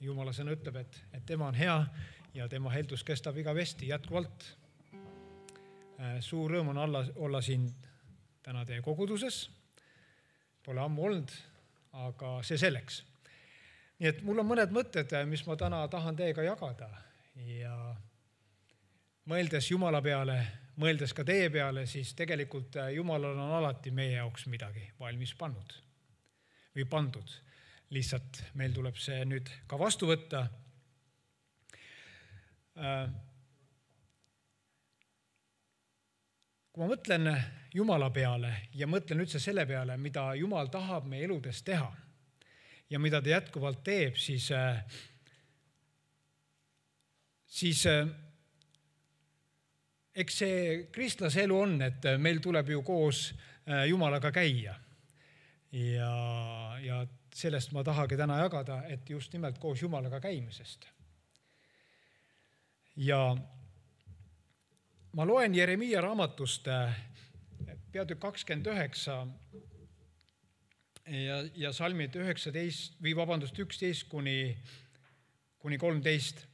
Jumala sõna ütleb, et tema on hea ja tema heldus kestab igavesti jätkuvalt. Suur rõõm on olla siin täna teie koguduses. Pole ammu olnud, aga see selleks. Nii et mul on mõned mõtted, mis ma täna tahan teiega jagada ja mõeldes Jumala peale, mõeldes ka teie peale, siis tegelikult Jumalal on alati meie jaoks midagi valmis pannud või pandud. Lihtsalt meil tuleb see nüüd ka vastu võtta. Kui ma mõtlen Jumala peale ja mõtlen üldse selle peale, mida Jumal tahab meie eludes teha ja mida ta jätkuvalt teeb, siis eks see kristlase elu on, et meil tuleb ju koos Jumalaga käia. Ja sellest ma tahagi täna jagada, et just nimelt koos Jumalaga käimisest. Ja ma loen Jeremiia raamatust peatükk 29 ja salmid 11 kuni 13.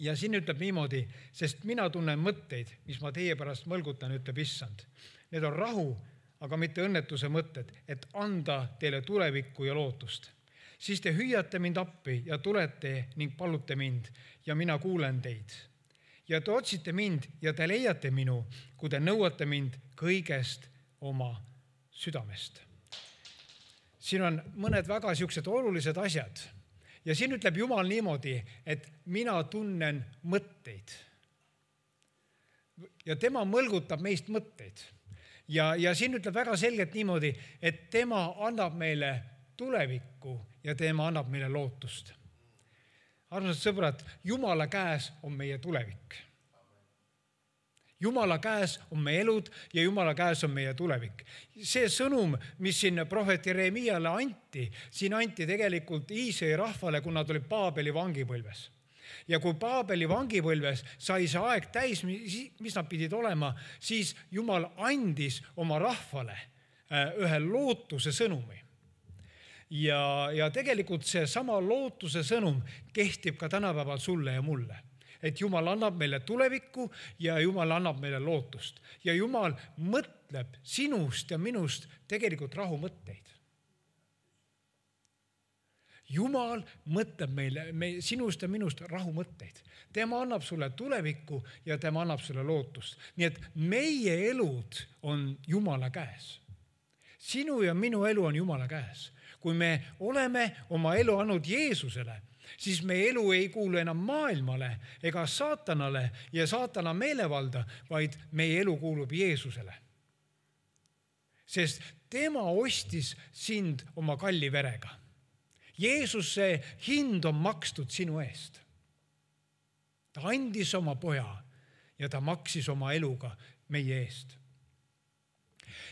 Ja siin ütleb niimoodi, sest mina tunnen mõtteid, mis ma teie pärast mõlgutan, ütleb Issand. Need on rahu, aga mitte õnnetuse mõtted, et anda teile tulevikku ja lootust. Siis te hüüate mind appi ja tulete ning palute mind ja mina kuulen teid. Ja te otsite mind ja te leiate minu, kui te nõuate mind kõigest oma südamest. Siin on mõned väga siuksed olulised asjad. Ja siin ütleb Jumal niimoodi, et mina tunnen mõtteid. Ja tema mõlgutab meist mõtteid. Ja siin ütleb väga selgelt niimoodi, et tema annab meile tulevikku ja tema annab meile lootust. Armsad sõbrad, Jumala käes on meie tulevik. Jumala käes on meie elud ja Jumala käes on meie tulevik. See sõnum, mis siin prohvet Jeremiale anti, siin anti tegelikult Iisraeli rahvale, kui nad olid Paabeli vangipõlves. Ja kui Paabeli vangipõlves sai see aeg täis, mis nad pidid olema, siis Jumal andis oma rahvale ühe lootuse sõnumi. Ja tegelikult see sama lootuse sõnum kehtib ka tänapäeval sulle ja mulle. Et Jumal annab meile tulevikku ja Jumal annab meile lootust. Ja Jumal mõtleb sinust ja minust tegelikult rahumõtteid. Jumal mõtleb meile sinust ja minust rahumõtteid. Tema annab sulle tulevikku ja tema annab sulle lootust. Nii et meie elud on Jumala käes. Sinu ja minu elu on Jumala käes. Kui me oleme oma elu andnud Jeesusele, siis meie elu ei kuulu enam maailmale ega saatanale ja saatana meelevalda, vaid meie elu kuulub Jeesusele. Sest tema ostis sind oma kalli verega. Jeesuse hind on makstud sinu eest. Ta andis oma poja ja ta maksis oma eluga meie eest.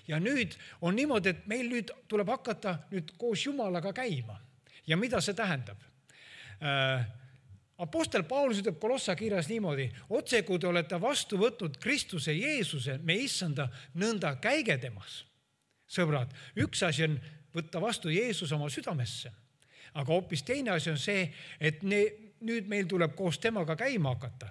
Ja nüüd on niimoodi, et meil nüüd tuleb hakata nüüd koos Jumalaga käima. Ja mida see tähendab? Apostel Paulus ütleb Kolossa kirjas niimoodi, otse kui te olete vastu võtnud Kristuse Jeesuse, me issanda, nõnda käige temas. Sõbrad, üks asi on võtta vastu Jeesus oma südamesse. Aga hoopis teine asi on see, et nüüd meil tuleb koos temaga käima hakata.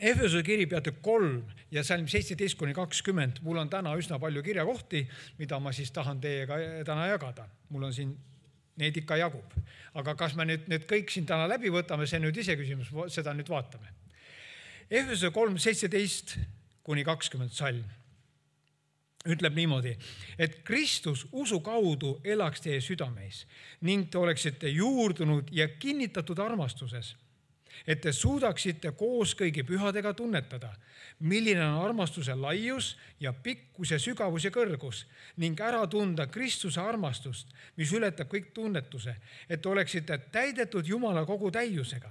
Efesuse kiri peatükk 3 ja salm 17-20. Mul on täna üsna palju kirjakohti, mida ma siis tahan teiega täna jagada. Mul on siin neid ikka jagub. Aga kas me nüüd kõik siin täna läbi võtame, see nüüd ise küsimus, seda nüüd vaatame. Efesuse 3, 17-20 salm ütleb niimoodi, et Kristus usu kaudu elaks teie südameis ning te oleksite juurdunud ja kinnitatud armastuses, et te suudaksite koos kõigi pühadega tunnetada, milline on armastuse laius ja pikkus ja sügavus ja kõrgus ning ära tunda Kristuse armastust, mis ületab kõik tunnetuse, et oleksite täidetud Jumala kogu täiusega.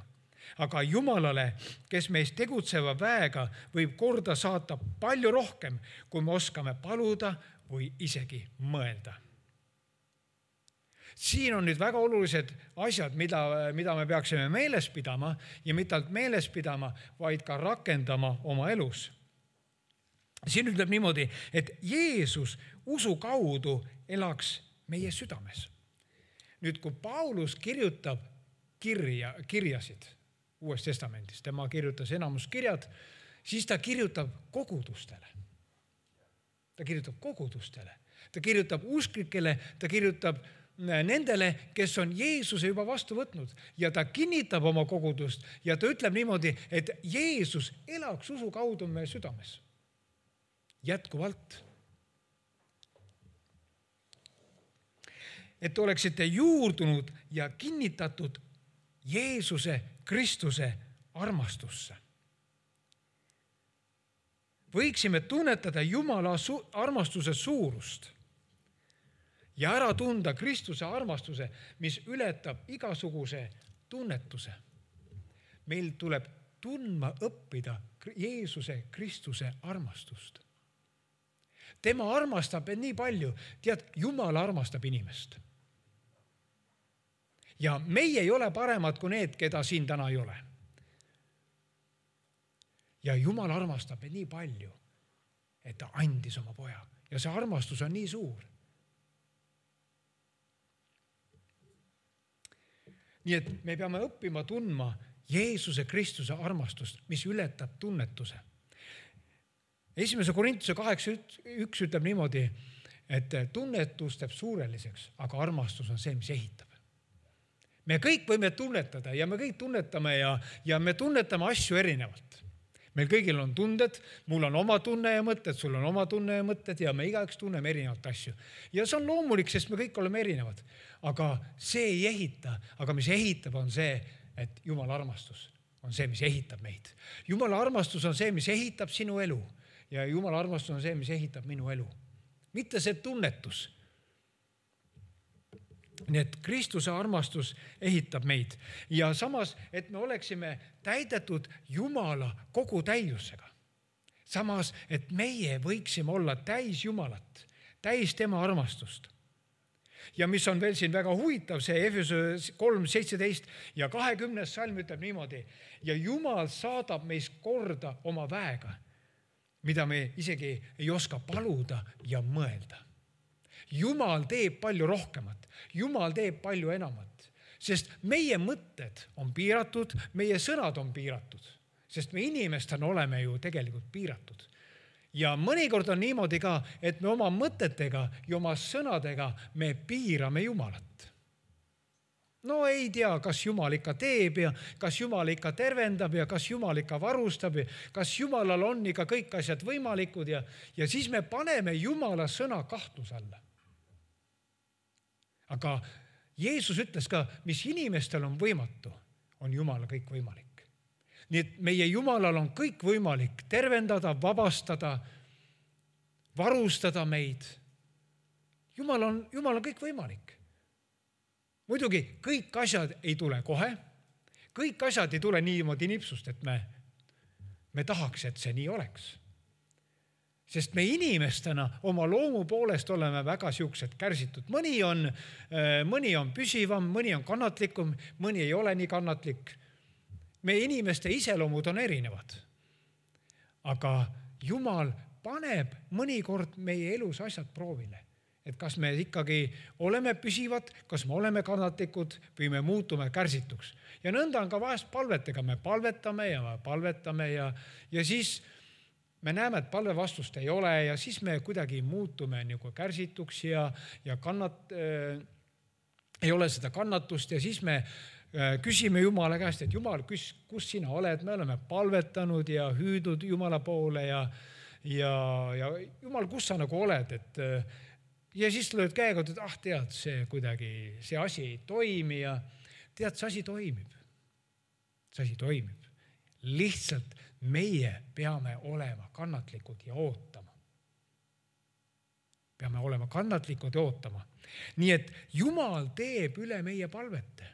Aga Jumalale, kes meist tegutseva väega, võib korda saata palju rohkem, kui me oskame paluda või isegi mõelda. Siin on nüüd väga olulised asjad, mida me peaksime meeles pidama ja mitte ainult meeles pidama, vaid ka rakendama oma elus. Siin ütleb niimoodi, et Jeesus usu kaudu elaks meie südames. Nüüd, kui Paulus kirjutab kirjasid Uues Testamendis, tema kirjutas enamus kirjad, siis ta kirjutab kogudustele. Ta kirjutab usklikele, ta kirjutab nendele, kes on Jeesuse juba vastu võtnud ja ta kinnitab oma kogudust ja ta ütleb niimoodi, et Jeesus elaks usu kaudu meie südames. Jätkuvalt. Et oleksite juurdunud ja kinnitatud Jeesuse Kristuse armastusse. Võiksime tunnetada Jumala armastuse suurust ja ära tunda Kristuse armastuse, mis ületab igasuguse tunnetuse. Meil tuleb tundma õppida Jeesuse Kristuse armastust. Tema armastab nii palju. Tead, Jumal armastab inimest. Ja meie ei ole paremad kui need, keda siin täna ei ole. Ja Jumal armastab nii palju, et ta andis oma poja. Ja see armastus on nii suur. Nii et me peame õppima tundma Jeesuse Kristuse armastust, mis ületab tunnetuse. 1. Korintuse 8.1 ütleb niimoodi, et tunnetus teeb suureliseks, aga armastus on see, mis ehitab. Me kõik võime tunnetada ja me kõik tunnetame ja me tunnetame asju erinevalt. Meil kõigil on tunded, mul on oma tunne ja mõtted, sul on oma tunne ja mõtted ja me igaüks tunneme erinevat asju. Ja see on loomulik, sest me kõik oleme erinevad. Aga see ei ehita, aga mis ehitab on see, et Jumala armastus on see, mis ehitab meid. Jumala armastus on see, mis ehitab sinu elu ja Jumala armastus on see, mis ehitab minu elu. Mitte see tunnetus. Nii et Kristuse armastus ehitab meid ja samas, et me oleksime täidetud Jumala kogu täiusega. Samas, et meie võiksime olla täis Jumalat, täis tema armastust. Ja mis on veel siin väga huvitav, see Efesuse 3:17 ja 20. salm ütleb niimoodi, ja Jumal saadab meist korda oma väega, mida me isegi ei oska paluda ja mõelda. Jumal teeb palju rohkemat. Jumal teeb palju enamat, sest meie mõtted on piiratud, meie sõnad on piiratud, sest me inimestena oleme ju tegelikult piiratud. Ja mõnikord on niimoodi ka, et me oma mõtetega ja oma sõnadega me piirame Jumalat. No ei tea, kas Jumal ikka teeb ja kas Jumal ikka tervendab ja kas Jumal ikka varustab ja kas Jumalal on ikka kõik asjad võimalikud ja siis me paneme Jumala sõna kahtluse alla. Aga Jeesus ütles ka, mis inimestel on võimatu, on Jumala kõik võimalik. Nii et meie Jumalal on kõik võimalik tervendada, vabastada, varustada meid. Jumal on kõik võimalik. Muidugi kõik asjad ei tule kohe. Kõik asjad ei tule niimoodi nipsust, et me tahaks, et see nii oleks. Sest me inimestena oma loomu poolest oleme väga siuksed kärsitud. Mõni on püsivam, mõni on kannatlikum, mõni ei ole nii kannatlik. Meie inimeste iseloomud on erinevad. Aga Jumal paneb mõnikord meie elus asjad proovile. Et kas me ikkagi oleme püsivad, kas me oleme kannatlikud või me muutume kärsituks. Ja nõnda on ka vahest palvetega. Me palvetame ja siis me näeme, et palve vastust ei ole ja siis me kuidagi muutume nagu kärsituks ja ei ole seda kannatust ja siis me küsime Jumala käest, et Jumal, kus sina oled? Me oleme palvetanud ja hüüdud Jumala poole ja Jumal, kus sa nagu oled? Ja siis lööd käega, et tead, see asi ei toimi ja tead, see asi toimib. See asi toimib. Lihtsalt meie peame olema kannatlikud ja ootama. Peame olema kannatlikud ja ootama. Nii et Jumal teeb üle meie palvete.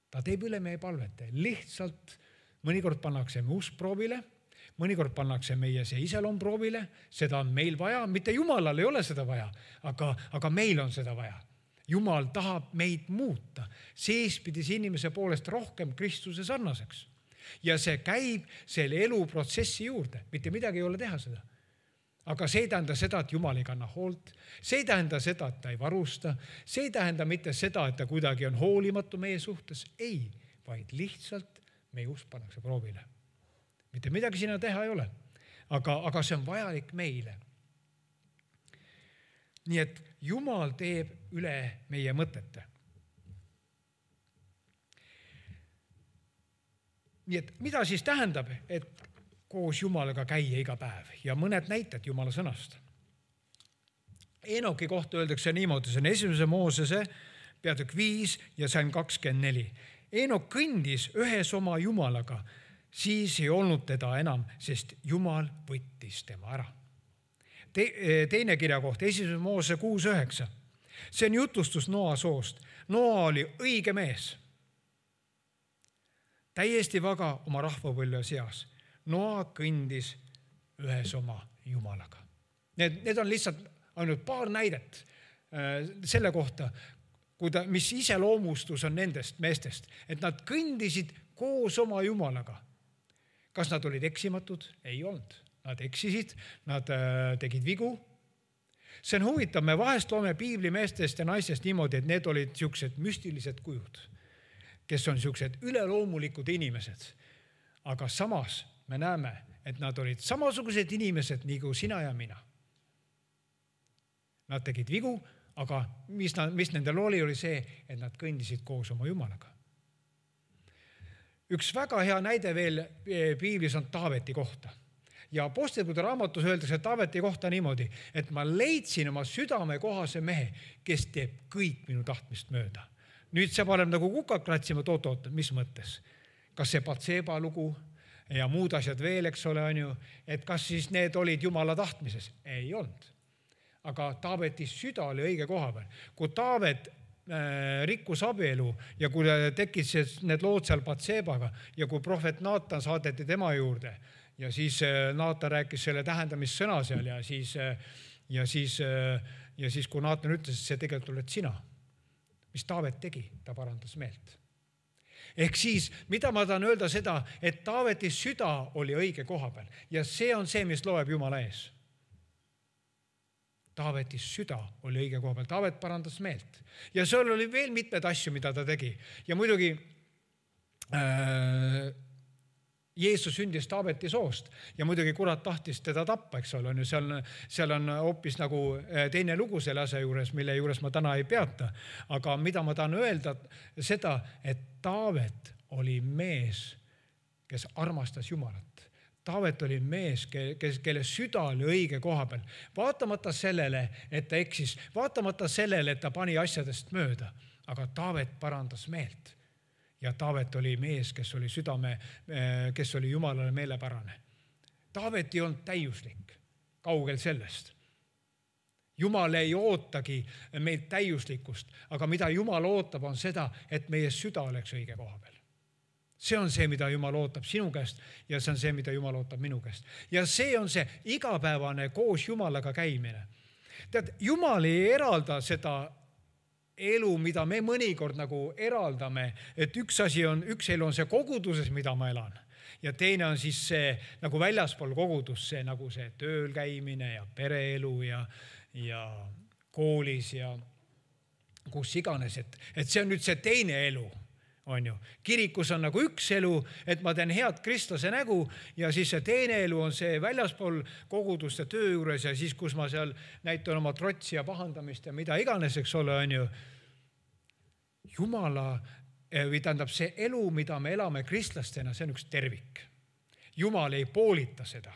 Ta teeb üle meie palvete. Lihtsalt mõnikord pannakse me usk proovile, mõnikord pannakse meie see iseloom proovile, seda on meil vaja, mitte Jumalal ei ole seda vaja, aga meil on seda vaja. Jumal tahab meid muuta, seespidis inimese poolest rohkem Kristuse sarnaseks. Ja see käib selle eluprotsessi juurde, mitte midagi ei ole teha seda. aga see ei tähenda seda, et Jumal ei kanna hoolt. See ei tähenda seda, et ta ei varusta. See ei tähenda mitte seda, et ta kuidagi on hoolimatu meie suhtes. Ei, vaid lihtsalt meie usk pannakse proovile. Mitte midagi sinna teha ei ole, aga see on vajalik meile. Nii et Jumal teeb üle meie mõtete. Nii et mida siis tähendab, et koos Jumalaga käia iga päev ja mõned näited Jumala sõnast. Enoki kohta öeldakse niimoodi, see on 1. Moosese peatükk 5 ja salm 24. Enok kõndis ühes oma Jumalaga, siis ei olnud teda enam, sest Jumal võttis tema ära. Teine kirja koht, 1. Moosese 6-9. See on jutustus Noa soost. Noa oli õige mees, täiesti vaga oma rahvapõlve seas. Noa kõndis ühes oma Jumalaga. Need on lihtsalt ainult paar näidet selle kohta, mis iseloomustus on nendest meestest, et nad kõndisid koos oma Jumalaga. Kas nad olid eksimatud? Ei olnud. Nad eksisid, nad tegid vigu. See on huvitav, me vahest loome piibli meestest ja naistest niimoodi, et need olid siuksed müstilised kujud, kes on siuksed üleloomulikud inimesed. Aga samas me näeme, et nad olid samasugused inimesed nagu sina ja mina. Nad tegid vigu, aga mis nendel oli see, et nad kõndisid koos oma Jumalaga. Üks väga hea näide veel piiblis on Taaveti kohta. Ja Apostlite raamatus öeldakse Taaveti kohta niimoodi, et ma leidsin oma südame kohase mehe, kes teeb kõik minu tahtmist mööda. Nüüd see paneb nagu kukad kratsima, oot, mis mõttes? Kas see Batseba lugu ja muud asjad veel, eks ole, on ju, et kas siis need olid Jumala tahtmises? Ei olnud. Aga Taaveti süda oli õige koha peal. Kui Taavet rikkus abielu ja kui tekkis need lood seal Batsebaga ja kui prohvet Naatan saadeti tema juurde ja siis Naatan rääkis selle tähendamissõna seal ja siis kui Naatan ütles, et see tegelikult oled sina, mis Taavet tegi, ta parandas meelt. Ehk siis, mida ma tahan öelda seda, et Taaveti süda oli õige koha peal ja see on see, mis loeb Jumala ees. Taaveti süda oli õige koha peal. Taavet parandas meelt. Ja seal oli veel mitmed asju, mida ta tegi. Ja muidugi Jeesus sündis Taaveti soost ja muidugi kurat tahtis teda tappa, eks ole. Seal on hoopis nagu teine lugu selle asja juures, mille juures ma täna ei peata. Aga mida ma tahan öelda seda, et Taavet oli mees, kes armastas Jumalat. Taavet oli mees, kelle süda oli õige koha peal. Vaatamata sellele, et ta eksis, vaatamata sellele, et ta pani asjadest mööda, aga Taavet parandas meelt. Ja Taavet oli mees, kes oli südame, kes oli Jumalale meelepärane. Taavet ei olnud täiuslik, kaugel sellest. Jumal ei ootagi meilt täiuslikkust, aga mida Jumal ootab on seda, et meie süda oleks õige koha peal. See on see, mida Jumal ootab sinu käest ja see on see, mida Jumal ootab minu käest. Ja see on see igapäevane koos Jumalaga käimine. Tead, Jumal ei eralda seda elu, mida me mõnikord nagu eraldame, et üks elu on see koguduses, mida ma elan. Ja teine on siis see nagu väljaspool kogudus, see nagu see tööl käimine ja pereelu ja koolis ja kus iganes, et see on nüüd see teine elu. On ju. Kirikus on nagu üks elu, et ma teen head kristlase nägu ja siis see teine elu on see väljaspool koguduste töö juures ja siis, kus ma seal näitan oma trotsi ja pahandamist ja mida iganes, eks ole, on ju. Jumala, või tähendab see elu, mida me elame kristlastena, see on üks tervik. Jumal ei poolita seda.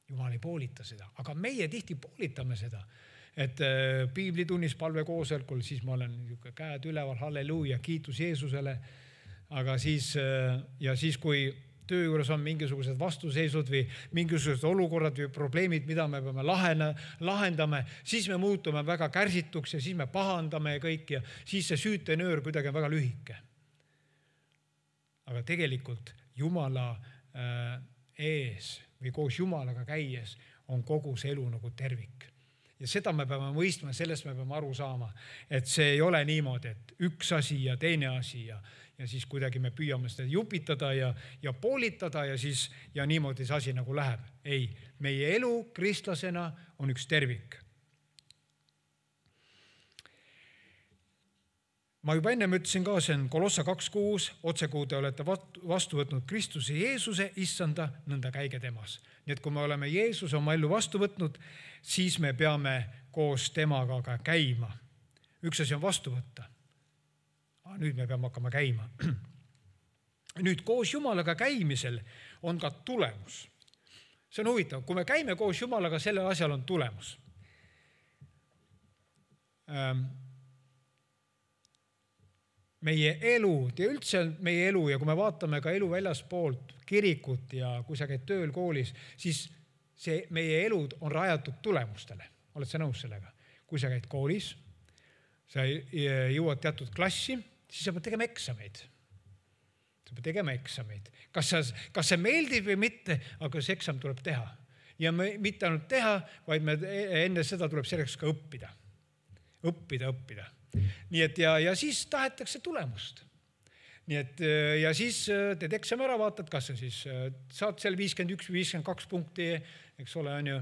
Jumal ei poolita seda, aga meie tihti poolitame seda. Et piiblitunnis palve koosolekul, siis ma olen käed üleval, halleluuja, kiitus Jeesusele. Aga siis, kui töö juures on mingisugused vastuseisud või mingisugused olukorrad või probleemid, mida me peame lahendame, siis me muutume väga kärsituks ja siis me pahandame kõik ja siis see süütenöör kuidagi on väga lühike. Aga tegelikult Jumala ees või koos Jumalaga käies on kogu see elu nagu tervik. Ja seda me peame mõistma, sellest me peame aru saama, et see ei ole niimoodi, et üks asi ja teine asi ja ja siis kuidagi me püüame seda jupitada ja poolitada ja niimoodi see asi nagu läheb. Ei, meie elu kristlasena on üks tervik. Ma juba ennem ütlesin ka, see on Kolossa 2.6, otsekuu te olete vastu võtnud Kristuse Jeesuse, issanda, nõnda käige temas. Nii et kui me oleme Jeesuse oma ellu vastu võtnud, siis me peame koos temaga ka käima. Üks asi on vastu võtta. Nüüd me peame hakkama käima. Nüüd koos Jumalaga käimisel on ka tulemus. See on huvitav, kui me käime koos Jumalaga, sellel asjal on tulemus. Meie elu ja üldse meie elu ja kui me vaatame ka elu väljaspoolt kirikut ja kui sa käid tööl koolis, siis see meie elud on rajatud tulemustele. Oled sa nõus sellega? Kui sa käid koolis, sa jõuad teatud klassi, siis sa pead tegema eksameid. Sa pead tegema eksameid. Kas see meeldib või mitte, aga see eksam tuleb teha. Ja mitte ainult teha, vaid enne seda tuleb selleks ka õppida. Õppida. Nii et ja siis tahetakse tulemust. Nii et ja siis teed eksami ära, vaatad, kas sa siis saad seal 51 või 52 punkti, eks ole, on ju,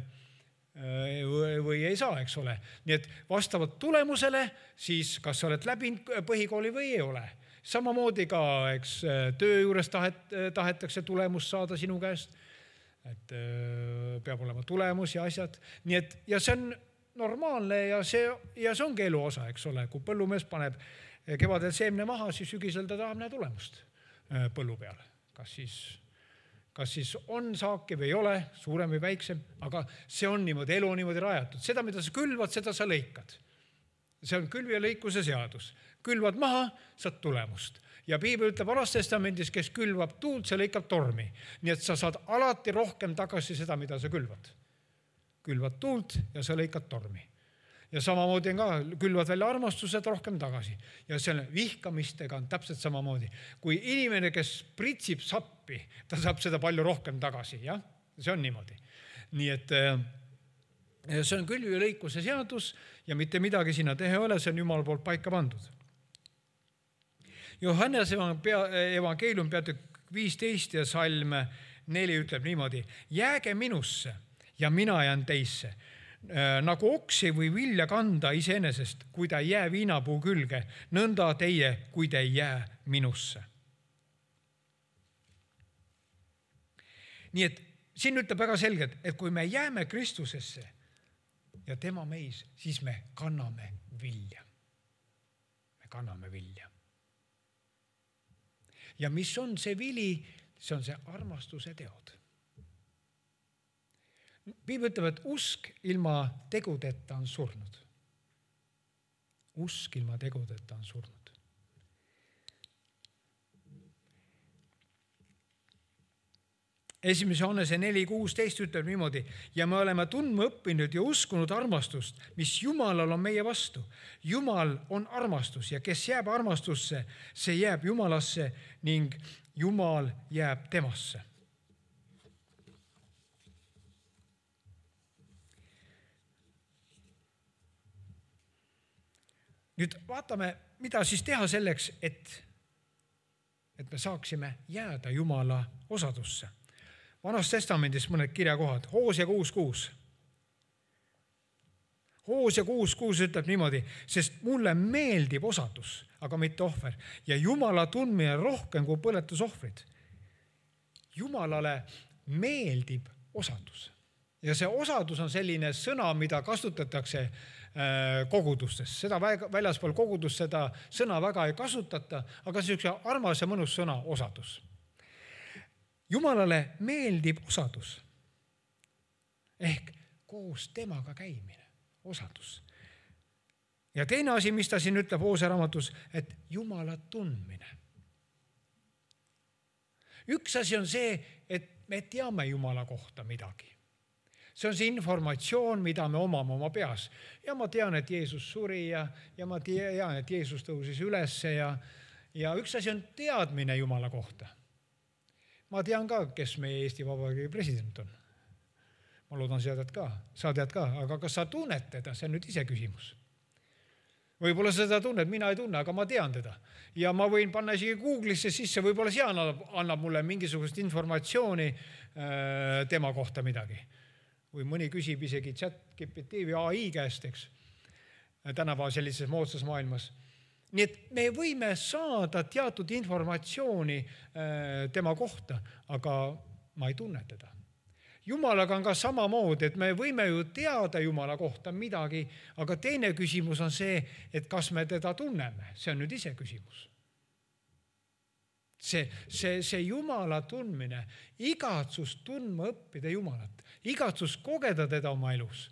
või ei saa, eks ole. Nii et vastavalt tulemusele, siis kas sa oled läbinud põhikooli või ei ole. Samamoodi ka, eks töö juures tahetakse tulemust saada sinu käest, et peab olema tulemus ja asjad. Nii et ja see on normaalne ja see ongi elu osa, eks ole. Kui põllumees paneb kevadel seemne maha, siis sügisel ta tahab näha tulemust põllu peal. Kas siis on saaki või ei ole, suurem või väiksem, aga see on niimoodi, elu on niimoodi rajatud. Seda, mida sa külvad, seda sa lõikad. See on külvi ja lõikuse seadus. Külvad maha, saad tulemust. Ja Piibel ütleb Vanas Testamendis, kes külvab tuult, see lõikab tormi. Nii et sa saad alati rohkem tagasi seda, mida sa külvad. Külvad tuult ja sa lõikad tormi. Ja samamoodi on ka, külvad välja armastused rohkem tagasi. Ja selle vihkamistega on täpselt samamoodi. Kui inimene, kes pritsib sappi, ta saab seda palju rohkem tagasi. Ja? See on niimoodi. Nii et see on külvi ja lõikuse seadus ja mitte midagi sinna teha ole, see on Jumala poolt paika pandud. Johannese evangeelium peatükk 15 ja salm 4 ütleb niimoodi: jääge minusse ja mina jään teisse. Nagu oksi või vilja kanda iseenesest, kui ta ei jää viinapuu külge, nõnda teie, kui te ei jää minusse. Nii et siin ütleb väga selgelt, et kui me jääme Kristusesse ja tema meis, siis me kanname vilja. Me kanname vilja. Ja mis on see vili? See on see armastuse teod. Piibel ütleb, et usk ilma tegudeta on surnud. Usk ilma tegudeta on surnud. Esimese Johannese 4.16 ütleb niimoodi: ja me oleme tundma õppinud ja uskunud armastust, mis Jumalal on meie vastu. Jumal on armastus ja kes jääb armastusse, see jääb Jumalasse ning Jumal jääb temasse. Nüüd vaatame, mida siis teha selleks, et me saaksime jääda Jumala osadusse. Vanas Testamendis mõned kirjakohad. Hoosea 6.6. Hoosea 6.6 ütleb niimoodi: sest mulle meeldib osadus, aga mitte ohver. Ja Jumala tundmine rohkem kui põletusohvrid. Jumalale meeldib osadus. Ja see osadus on selline sõna, mida kasutatakse kogudustes. Seda väljaspool kogudust seda sõna väga ei kasutata, aga see on üks armas ja mõnus sõna, osadus. Jumalale meeldib osadus. Ehk koos temaga käimine, osadus. Ja teine asi, mis ta siin ütleb Hoosea raamatus, et Jumala tundmine. Üks asi on see, et me teame Jumala kohta midagi. See on see informatsioon, mida me omame oma peas. Ja ma tean, et Jeesus suri ja ma tean, et Jeesus tõusis üles ja üks asi on teadmine Jumala kohta. Ma tean ka, kes meie Eesti Vabariigi president on. Ma loodan, sa tead ka, aga kas sa tunned teda, see on nüüd ise küsimus. Võib-olla seda tunned, mina ei tunne, aga ma tean teda. Ja ma võin panna isegi Google'isse sisse, võib-olla seal annab mulle mingisugust informatsiooni tema kohta midagi. Või mõni küsib isegi ChatGPT või AI käest, eks, tänapäeva sellises moodsas maailmas. Nii et me võime saada teatud informatsiooni tema kohta, aga ma ei tunne teda. Jumalaga on ka samamoodi, et me võime ju teada Jumala kohta midagi, aga teine küsimus on see, et kas me teda tunneme. See on nüüd ise küsimus. See Jumala tundmine, igatsus tundma õppida Jumalat, igatsus kogeda teda oma elus.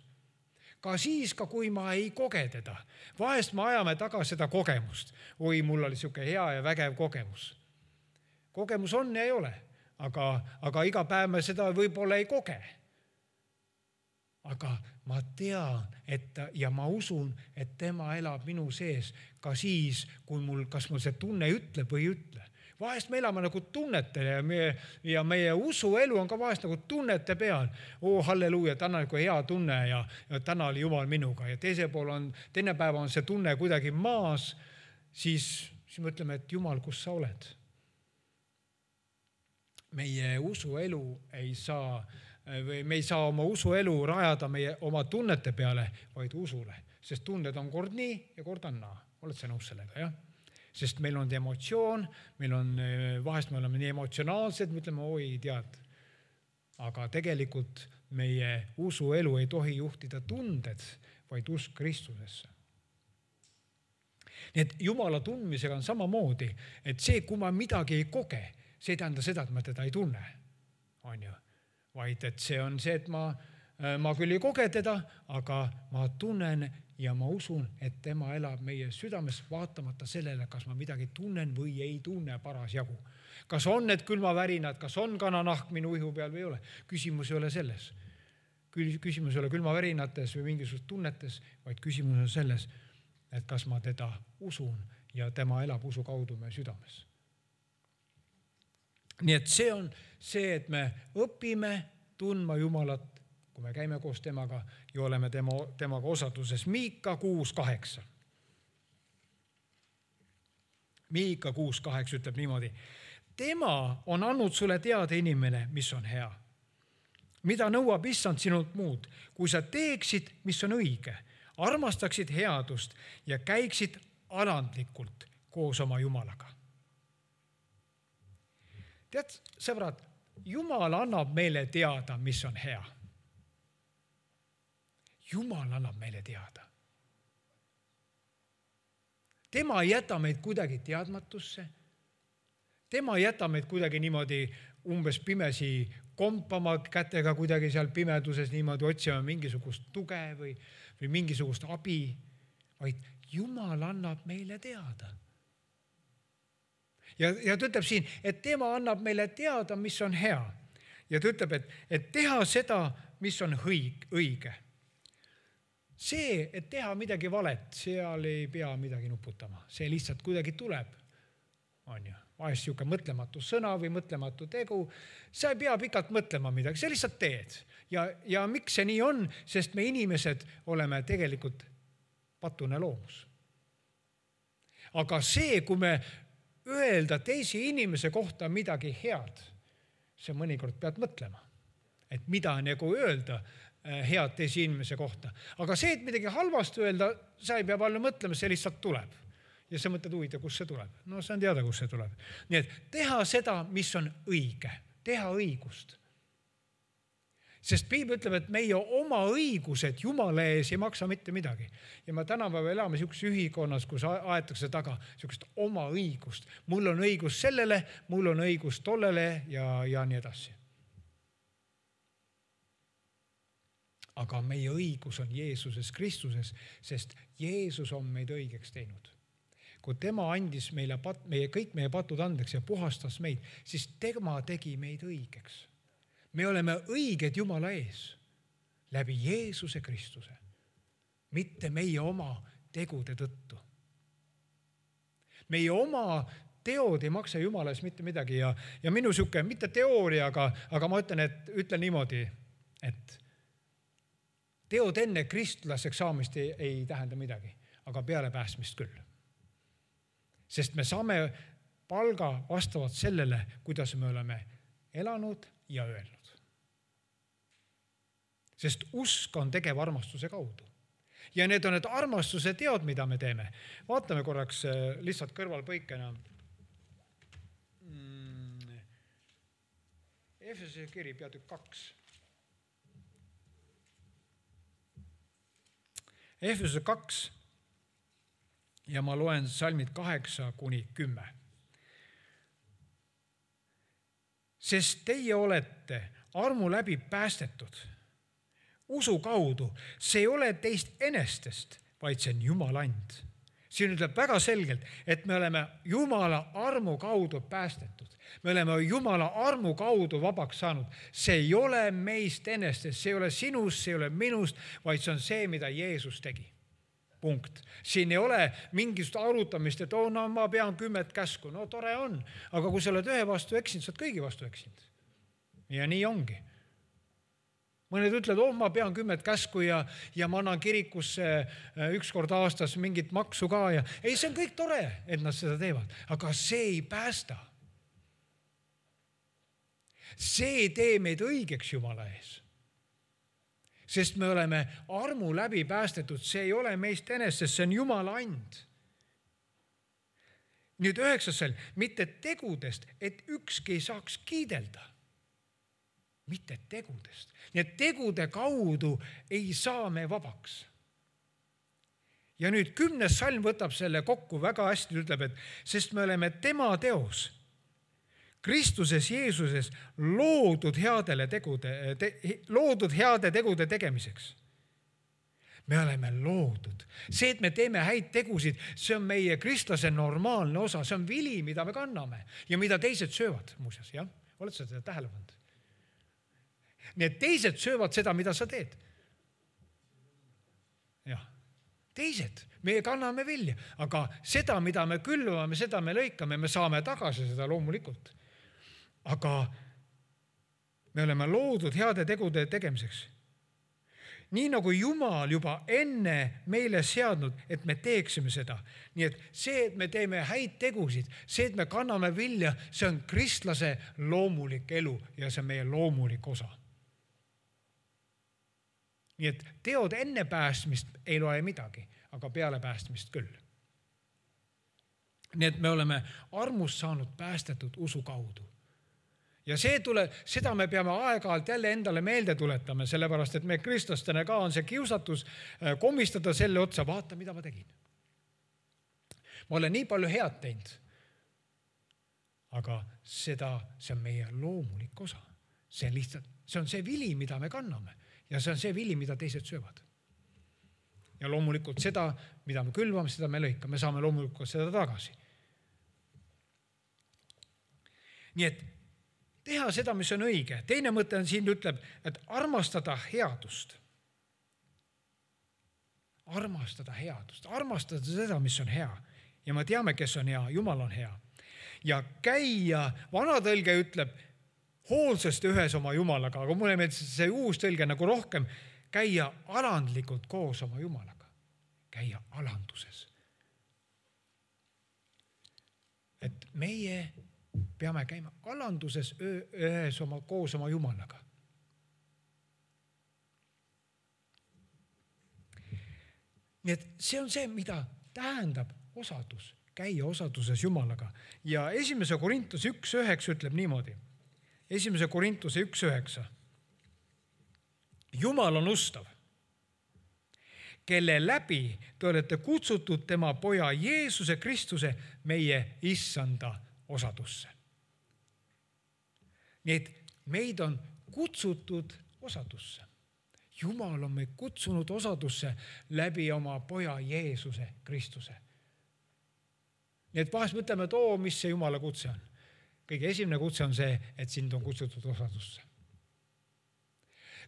Ka siis, kui ma ei koge teda. Vahest me ajame taga seda kogemust. Oi, mul oli siuke hea ja vägev kogemus. Kogemus on ja ei ole. Aga iga päev me seda võib-olla ei koge. Aga ma tean, ja ma usun, et tema elab minu sees ka siis, kui kas mul see tunne ütleb või ei ütle. Vahest me elame nagu tunnete ja meie usuelu on ka vahest nagu tunnete peal. Halleluuja, täna on hea tunne ja täna oli Jumal minuga. Ja teine päev on see tunne kuidagi maas, siis me ütleme, et Jumal, kus sa oled? Meie usuelu ei saa oma usuelu rajada oma tunnete peale, vaid usule. Sest tunded on kord nii ja kord on naa. Oled sa nõus sellega, jah? Sest meil on emotsioon, vahest me oleme nii emotsionaalsed, me ütleme, oi, tead. Aga tegelikult meie usuelu ei tohi juhtida tunded, vaid usk Kristusesse. Nii et Jumala tundmisega on samamoodi, et see, kui ma midagi ei koge, see ei tähenda seda, et ma teda ei tunne, on ju. Vaid et see on see, et ma küll ei koge teda, aga ma tunnen ja ma usun, et tema elab meie südames vaatamata sellele, kas ma midagi tunnen või ei tunne parasjagu. Kas on need külmavärinad, kas on kananahk minu ihu peal või ei ole? Küsimus ei ole selles. Küsimus ei ole külmavärinates või mingisugustes tunnetes, vaid küsimus on selles, et kas ma teda usun ja tema elab usu kaudu meie südames. Nii et see on see, et me õpime tundma Jumalat, kui me käime koos temaga ja oleme temaga osaduses. Miika 6.8. Miika 6.8 ütleb niimoodi. Tema on andnud sulle teada inimene, mis on hea. Mida nõuab issand sinult muud, kui sa teeksid, mis on õige, armastaksid headust ja käiksid alandlikult koos oma Jumalaga. Tead, sõbrad, Jumal annab meile teada, mis on hea. Jumal annab meile teada. Tema ei jäta meid kuidagi teadmatusse. Tema ei jäta meid kuidagi niimoodi umbes pimesi kompama kätega kuidagi seal pimeduses niimoodi otsima mingisugust tuge või mingisugust abi, vaid Jumal annab meile teada. Ja ta ütleb siin, et tema annab meile teada, mis on hea. Ja ta ütleb, et teha seda, mis on õige. See, et teha midagi valet, seal ei pea midagi nuputama. See lihtsalt kuidagi tuleb. On ju, vahest siuke mõtlematu sõna või mõtlematu tegu. Sa ei pea pikalt mõtlema midagi, sa lihtsalt teed. Ja miks see nii on? Sest me inimesed oleme tegelikult patune loomus. Aga see, kui me öelda teisi inimese kohta midagi head, see mõnikord pead mõtlema, et mida nagu öelda head teisi inimese kohta. Aga see, et midagi halvasti öelda, sa ei pea palju mõtlema, see lihtsalt tuleb. Ja sa mõtled huvitav, kus see tuleb. No see on teada, kus see tuleb. Nii et teha seda, mis on õige, teha õigust. Sest Piibel ütleb, et meie oma õigused Jumala ees ei maksa mitte midagi. Ja me tänapäeva elame siukeses ühikonnas, kus aetakse taga siukest oma õigust. Mul on õigus sellele, mul on õigus tollele ja nii edasi. Aga meie õigus on Jeesuses Kristuses, sest Jeesus on meid õigeks teinud. Kui tema andis meile kõik meie patud andeks ja puhastas meid, siis tema tegi meid õigeks. Me oleme õiged Jumala ees läbi Jeesuse Kristuse, mitte meie oma tegude tõttu. Meie oma teod ei maksa Jumala ees mitte midagi ja minu siuke, mitte teooria, aga ma ütlen niimoodi, et teod enne kristlaseks saamist ei tähenda midagi. aga peale päästmist küll. Sest me saame palga vastavalt sellele, kuidas me oleme elanud ja öelnud. Sest usk on tegev armastuse kaudu. Ja need on need armastuse teod, mida me teeme. Vaatame korraks lihtsalt kõrvalpõikena. Efesuse kiri peatükk 2. Efesuse 2 ja ma loen salmid 8-10. Sest teie olete armu läbi päästetud usu kaudu. See ei ole teist enestest, vaid see on Jumala and. Siin ütleb väga selgelt, et me oleme Jumala armu kaudu päästetud. Me oleme Jumala armu kaudu vabaks saanud. See ei ole meist enestest, see ei ole sinust, see ei ole minust, vaid see on see, mida Jeesus tegi. Punkt. Siin ei ole mingisugust arutamist, et ma pean 10 käsku. No tore on, aga kui sa oled ühe vastu eksinud, sa oled kõigi vastu eksinud. Ja nii ongi. Mõned ütlevad, ma pean 10 käsku ja ma annan kirikusse 1 kord aastas mingit maksu ka. Ei, see on kõik tore, et nad seda teevad, aga see ei päästa. See ei tee meid õigeks Jumala ees. Sest me oleme armu läbi päästetud, see ei ole meist enestest, see on Jumala and. Nüüd 9. mitte tegudest, et ükski ei saaks kiidelda. Mitte tegudest. Nii et tegude kaudu ei saa me vabaks. Ja nüüd 10. salm võtab selle kokku väga hästi, ütleb, et sest me oleme tema teos, Kristuses Jeesuses loodud heade tegude tegemiseks. Me oleme loodud. See, et me teeme häid tegusid, see on meie kristlase normaalne osa, see on vili, mida me kanname ja mida teised söövad muuseas. Ja? Oled sa seda tähele pannud? Need teised söövad seda, mida sa teed. Jah, teised, me kanname vilja, aga seda, mida me külvame, seda me lõikame, me saame tagasi seda loomulikult. Aga me oleme loodud heade tegude tegemiseks. Nii nagu Jumal juba enne meile seadnud, et me teeksime seda. Nii et see, et me teeme häid tegusid, see, et me kanname vilja, see on kristlase loomulik elu ja see on meie loomulik osa. Nii et teod enne päästmist ei loe midagi, aga peale päästmist küll. Nii et me oleme armust saanud päästetud usu kaudu. Ja seda me peame aeg-ajalt jälle endale meelde tuletama, sellepärast, et me kristlastena ka on see kiusatus komistada selle otsa, vaata, mida ma tegin. Ma olen nii palju head teinud, aga see on meie loomulik osa. See on see vili, mida me kanname ja see on see vili, mida teised söövad. Ja loomulikult seda, mida me külvame, seda me lõikame, me saame loomulikult seda tagasi. Nii et teha seda, mis on õige. Teine mõte on siin ütleb, et armastada headust. Armastada headust. Armastada seda, mis on hea. Ja me teame, kes on hea. Jumal on hea. Ja käia, vana tõlge ütleb, hoolsasti ühes oma Jumalaga, aga mulle meeldib see uus tõlge nagu rohkem, käia alandlikult koos oma Jumalaga. Käia alanduses. Et meie peame käima alanduses ühes koos oma Jumalaga. Nii et see on see, mida tähendab osadus, käia osaduses Jumalaga. Ja 1. Korintuse 1.9 ütleb niimoodi. 1. Korintuse 1.9. Jumal on ustav, kelle läbi te olete kutsutud tema poja Jeesuse Kristuse meie issanda osadusse. Nii et meid on kutsutud osadusse. Jumal on meid kutsunud osadusse läbi oma poja Jeesuse Kristuse. Nii et vahest mõtleme, et mis see Jumala kutse on. Kõige esimene kutse on see, et sind on kutsutud osadusse.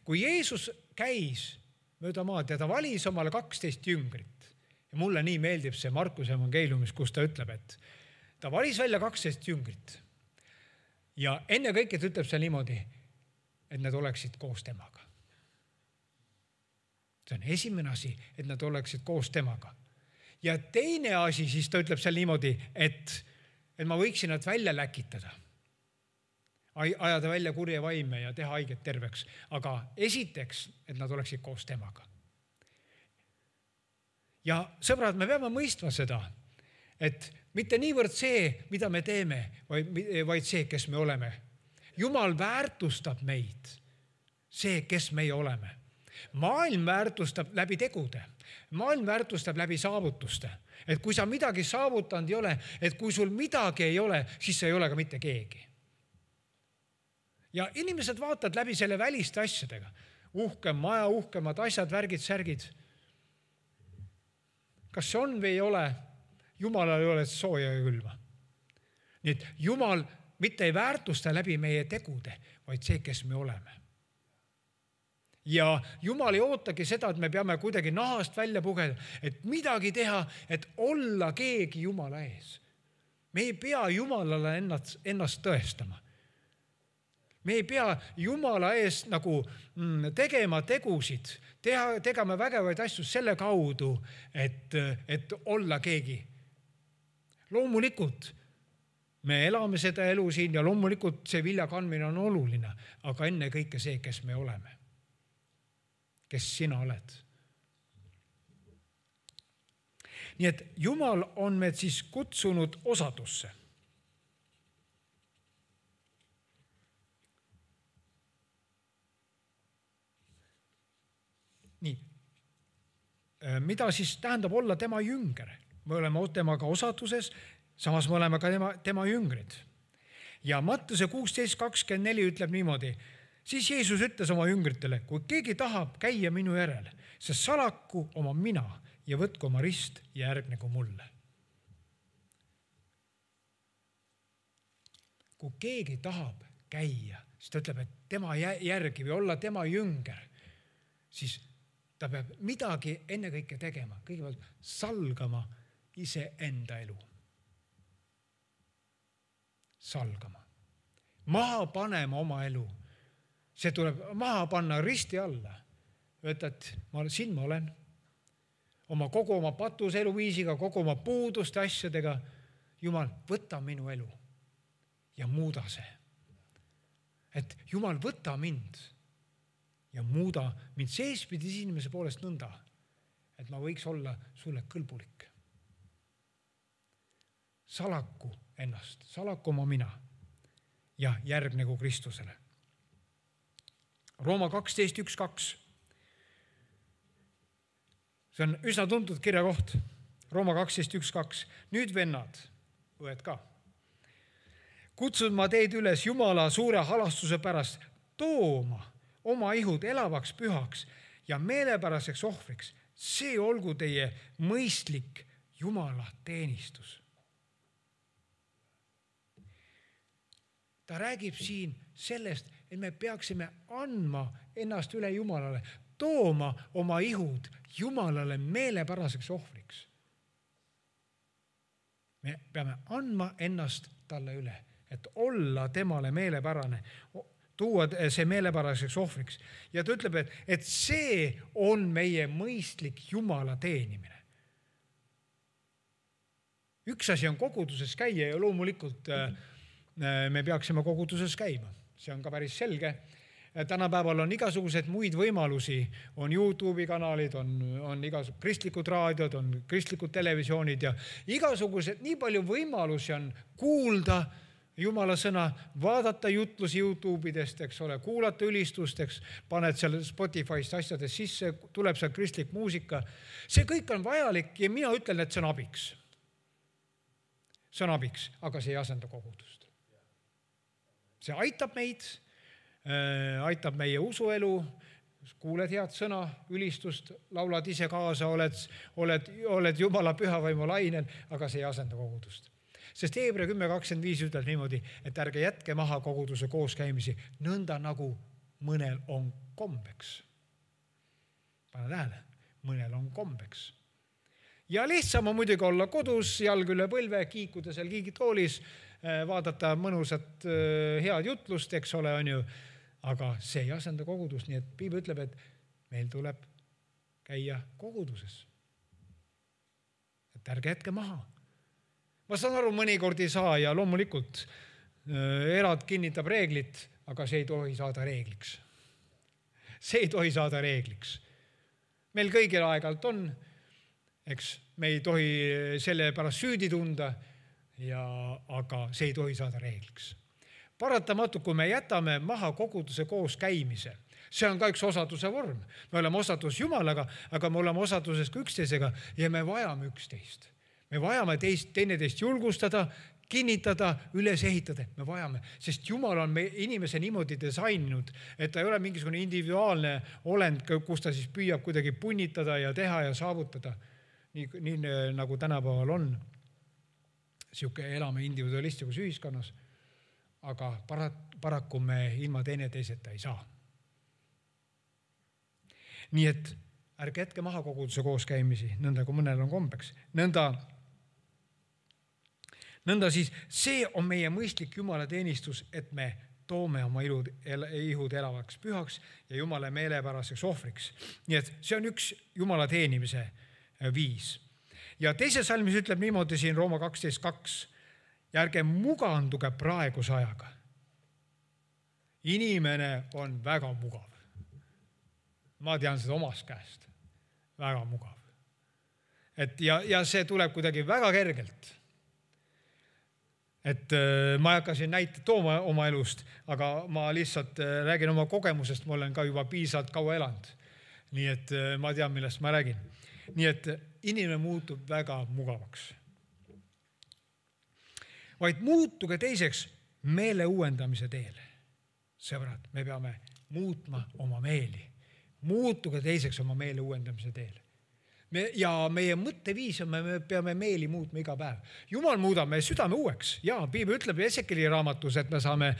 Kui Jeesus käis mööda maad ja ta valis omale 12 jüngrit ja mulle nii meeldib see Markuse evangeeliumis, kus ta ütleb, et ta valis välja 12 jüngrit ja enne kõike ta ütleb see niimoodi, et nad oleksid koos temaga. See on esimene asi, et nad oleksid koos temaga. Ja teine asi, siis ta ütleb seal niimoodi, et ma võiksin nad välja läkitada, ajada välja kurje vaime ja teha haiget terveks. Aga esiteks, et nad oleksid koos temaga. Ja sõbrad, me peame mõistma seda, et mitte niivõrd see, mida me teeme, vaid see, kes me oleme. Jumal väärtustab meid, see, kes meie oleme. Maailm väärtustab läbi tegude. Maailm väärtustab läbi saavutuste. Et kui sa midagi saavutanud ei ole, et kui sul midagi ei ole, siis sa ei ole ka mitte keegi. Ja inimesed vaatavad läbi selle väliste asjadega. Uhkem maja, uhkemad asjad, värgid, särgid. Kas see on või ei ole? Jumalal ei ole sooja ja külma. Nii et Jumal mitte ei väärtusta läbi meie tegude, vaid see, kes me oleme. Ja Jumal ei ootagi seda, et me peame kuidagi nahast välja pugeda, et midagi teha, et olla keegi Jumala ees. Me ei pea Jumalale ennast tõestama. Me ei pea Jumala ees nagu tegema tegusid, tegema vägevaid asju selle kaudu, et olla keegi. Loomulikult me elame seda elu siin ja loomulikult see vilja kandmine on oluline, aga enne kõike see, kes me oleme. Kes sina oled. Nii et Jumal on meid siis kutsunud osadusse. Nii. Mida siis tähendab olla tema jünger? Me oleme temaga osaduses, samas me oleme ka tema jüngrid. Ja Mattuse 16:24 ütleb niimoodi, siis Jeesus ütles oma jüngritele, kui keegi tahab käia minu järel, see salaku oma mina ja võtku oma rist ja järgnegu mulle. Kui keegi tahab käia, siis ta ütleb, et tema järgi või olla tema jünger, siis ta peab midagi ennekõike tegema. Kõigepealt salgama ise enda elu. Salgama. Maha panema oma elu. See tuleb maha panna risti alla. Öelda, et siin ma olen. Kogu oma patuse eluviisiga, kogu oma puuduste asjadega. Jumal, võta minu elu ja muuda see. Et Jumal, võta mind ja muuda mind seespidis inimese poolest nõnda, et ma võiks olla sulle kõlbulik. Salaku ennast, salaku oma mina ja järgnegu Kristusele. Rooma 12:1-2. See on üsna tuntud kirjakoht. Rooma 12:1-2. Nüüd vennad, õed ka. Kutsun ma teid üles Jumala suure halastuse pärast tooma oma ihud elavaks pühaks ja meelepäraseks ohvriks. See olgu teie mõistlik Jumala teenistus. Ta räägib siin sellest, et me peaksime andma ennast üle Jumalale, tooma oma ihud Jumalale meelepäraseks ohvriks. Me peame andma ennast talle üle, et olla temale meelepärane, tuua see meelepäraseks ohvriks. Ja ta ütleb, et see on meie mõistlik Jumala teenimine. Üks asi on koguduses käia ja loomulikult me peaksime koguduses käima. See on ka päris selge. Tänapäeval on igasugused muid võimalusi, on YouTube'i kanalid, on igasugused kristlikud raadiod, on kristlikud televisioonid ja igasugused, nii palju võimalusi on kuulda Jumala sõna, vaadata jutlusi YouTube'idest, eks ole, kuulata ülistusteks, paned seal Spotify'st asjades sisse, tuleb seal kristlik muusika. See kõik on vajalik ja mina ütlen, et see on abiks. See on abiks, aga see ei asenda kogudust. See aitab meid, aitab meie usuelu, kuuled head sõna, ülistust, laulad ise kaasa, oled Jumala pühavaimu lainel, aga see ei asenda kogudust. Sest Hebra 10:25 ütleb niimoodi, et ärge jätke maha koguduse kooskäimisi, nõnda nagu mõnel on kombeks. Pane tähele, mõnel on kombeks. Ja lihtsam on muidugi olla kodus, jalg üle põlve, kiikuda seal kiigitoolis, vaadata mõnusat head jutlust, eks ole, on ju, aga see ei asenda kogudust, nii et Piibel ütleb, et meil tuleb käia koguduses. et ärge jätke maha. Ma saan aru, mõnikord ei saa ja loomulikult erad kinnitab reeglit, aga see ei tohi saada reegliks. See ei tohi saada reegliks. Meil kõigil aeg-ajalt on, eks me ei tohi selle pärast süüdi tunda, aga see ei tohi saada reegliks. Paratamatult, kui me jätame maha koguduse koos käimise, see on ka üks osaduse vorm. Me oleme osadus Jumalaga, aga me oleme osaduses ka üksteisega ja me vajame üksteist. Me vajame teineteist julgustada, kinnitada, üles ehitada. Me vajame, sest Jumal on inimese niimoodi disaininud, et ta ei ole mingisugune individuaalne olend, kus ta siis püüab kuidagi punnitada ja teha ja saavutada. Nii nagu tänapäeval on. Siuke elame individualistlikus ühiskonnas, aga paraku me ilma teineteiseta ei saa. Nii et ärge jätke maha koguduse kooskäimisi, nõnda kui mõnel on kombeks. Nõnda siis see on meie mõistlik Jumala teenistus, et me toome oma ihud elavaks pühaks ja Jumala meelepäraseks ohvriks. Nii et see on üks Jumala teenimise viis. Ja teise salmis ütleb niimoodi siin Rooma 12.2. Ja ärge muganduge praeguse ajaga. Inimene on väga mugav. Ma tean seda omast käest. Väga mugav. Ja see tuleb kuidagi väga kergelt. Et ma ei hakka siin näite tooma oma elust, aga ma lihtsalt räägin oma kogemusest, ma olen ka juba piisavalt kaua elanud. Nii et ma tean, millest ma räägin. Nii et inimene muutub väga mugavaks. Vaid muutuge teiseks meele uuendamise teel. Sõbrad, me peame muutma oma meeli. Muutuge teiseks oma meele uuendamise teel. Ja meie mõtteviis on, me peame meeli muutma iga päev. Jumal muudab meie südame uueks. Ja Piibel ütleb Esekeli raamatus, et me saame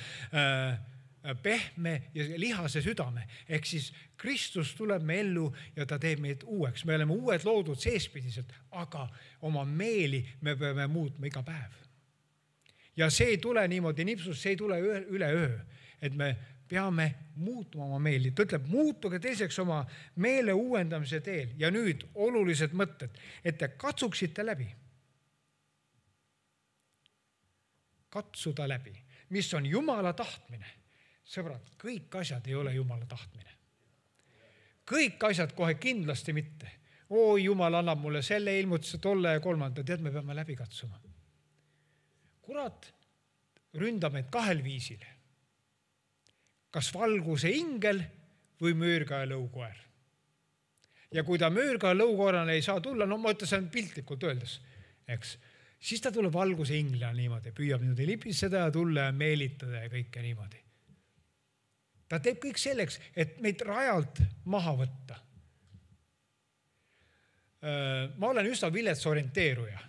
pehme ja lihase südame. Ehk siis Kristus tuleb me ellu ja ta teeb meid uueks. Me oleme uued loodud seespidiselt, aga oma meeli me peame muutma iga päev. Ja see ei tule niimoodi nipsus, see ei tule üle öö, et me peame muutma oma meeli. Ta ütleb, muutuge teiseks oma meele uuendamise teel. Ja nüüd olulised mõtted, et te katsuksite läbi. Katsuda läbi. Mis on Jumala tahtmine? Sõbrad, kõik asjad ei ole Jumala tahtmine. Kõik asjad kohe kindlasti mitte. Jumal annab mulle selle ilmutuse, tolle ja kolmanda. Tead, me peame läbi katsuma. Kurat ründab meid kahel viisil. Kas valguse ingel või möörga ja lõukoer. Ja kui ta möörga ja lõukoerana ei saa tulla, ma ütlen piltlikult öeldes, eks, siis ta tuleb valguse inglina niimoodi, püüab niimoodi lipseda ja tulla ja meelitada ja kõike niimoodi. Ta teeb kõik selleks, et meid rajalt maha võtta. Ma olen üsna vilets orienteeruja.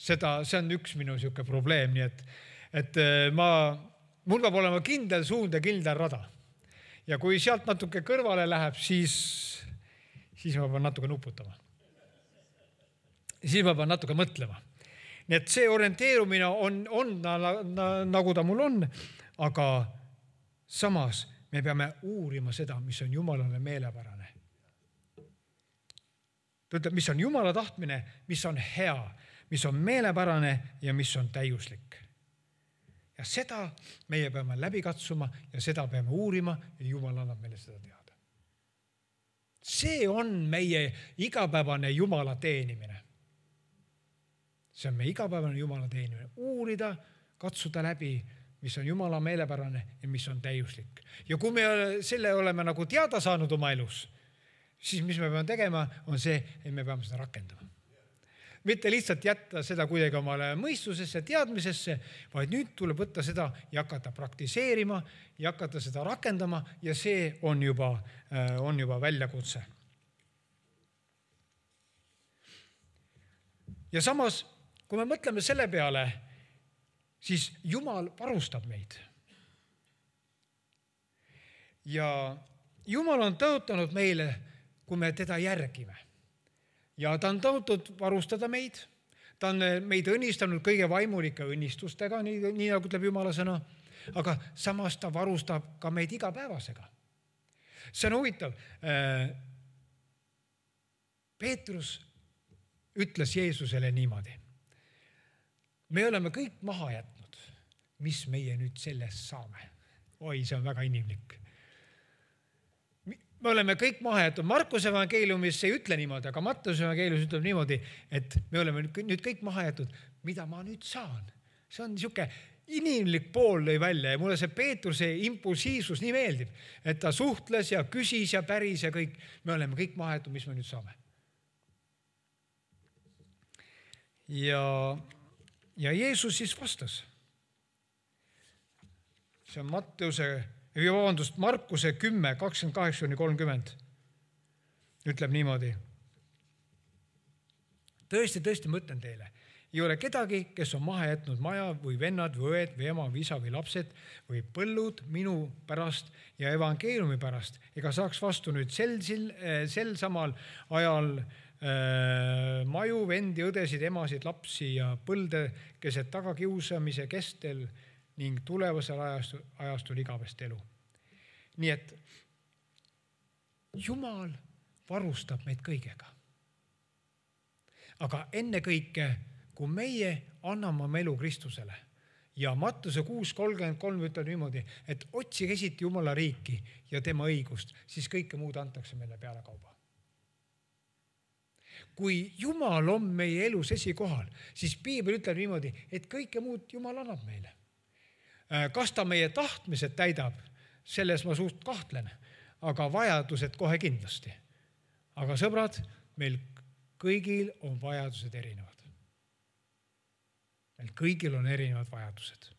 See on üks minu siuke probleem, nii et mul peab olema kindel suund ja kindel rada. Ja kui sealt natuke kõrvale läheb, siis ma pean natuke nuputama. Siis ma pean natuke mõtlema. Nii et see orienteerumine on nagu ta mul on, aga samas me peame uurima seda, mis on Jumalale meelepärane. Ta ütleb, mis on Jumala tahtmine, mis on hea, mis on meelepärane ja mis on täiuslik. Ja seda meie peame läbi katsuma ja seda peame uurima ja Jumal annab meile seda teada. See on meie igapäevane Jumala teenimine. See on meie igapäevane Jumala teenimine. Uurida, katsuda läbi, mis on Jumala meelepärane ja mis on täiuslik. Ja kui me selle oleme nagu teada saanud oma elus, siis mis me peame tegema, on see, et me peame seda rakendama. Mitte lihtsalt jätta seda kuidagi omale mõistusesse, teadmisesse, vaid nüüd tuleb võtta seda ja hakata praktiseerima ja hakata seda rakendama ja see on juba väljakutse. Ja samas, kui me mõtleme selle peale, siis Jumal varustab meid. Ja Jumal on tõotanud meile, kui me teda järgime. Ja ta on tõotud varustada meid. Ta on meid õnnistanud kõige vaimulike õnnistustega, nii nagu ütleb Jumala sõna. Aga samas ta varustab ka meid igapäevasega. See on huvitav. Peetrus ütles Jeesusele niimoodi. Me oleme kõik maha jätnud, mis meie nüüd sellest saame. Oi, see on väga inimlik. Me oleme kõik maha jätnud. Markuse evangeeliumis ei ütle niimoodi, aga Matteuse evangeeliumis ütleb niimoodi, et me oleme nüüd kõik maha jätnud. Mida ma nüüd saan? See on niisugune inimlik pool lõi välja ja mulle see Peetruse impulsiivsus nii meeldib, et ta suhtles ja küsis ja päris ja kõik. Me oleme kõik maha jätnud, mis me nüüd saame. Ja Jeesus siis vastas. See on Markuse 10, 28-30 ütleb niimoodi. Tõesti, ma ütlen teile, ei ole kedagi, kes on maha jätnud maja või vennad või õed või ema või isa või lapsed või põllud minu pärast ja evangeeliumi pärast, ega saaks vastu nüüd sel samal ajal maju, vendi, õdesid, emasid, lapsi ja põlde keset tagakiusamise kestel ning tulevasel ajastul igavest elu. Nii et Jumal varustab meid kõigega. Aga ennekõike, kui meie anname oma elu Kristusele ja Mattuse 6.33 ütleb niimoodi, et otsige esiti Jumala riiki ja tema õigust, siis kõike muud antakse meile peale kauba. Kui Jumal on meie elus esikohal, siis Piibel ütleb niimoodi, et kõike muud Jumal annab meile. Kas ta meie tahtmised täidab, selles ma suht kahtlen, aga vajadused kohe kindlasti. Aga sõbrad, meil kõigil on vajadused erinevad. Meil kõigil on erinevad vajadused.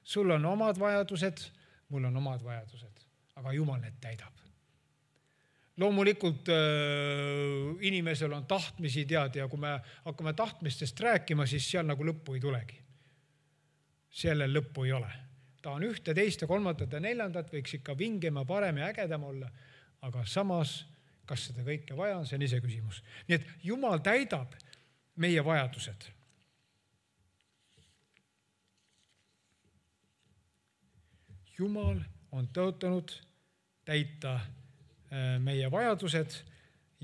Sul on omad vajadused, mul on omad vajadused, aga Jumal need täidab. Loomulikult inimesel on tahtmisi tead ja kui me hakkame tahtmistest rääkima, siis seal nagu lõppu ei tulegi. Sellel lõppu ei ole. Ta on 1, 2, 3 ja 4, võiks ikka vingema, parem ja ägedam olla, aga samas, kas seda kõike vaja on, see on ise küsimus. Nii et Jumal täidab meie vajadused. Jumal on tõotanud täita meie vajadused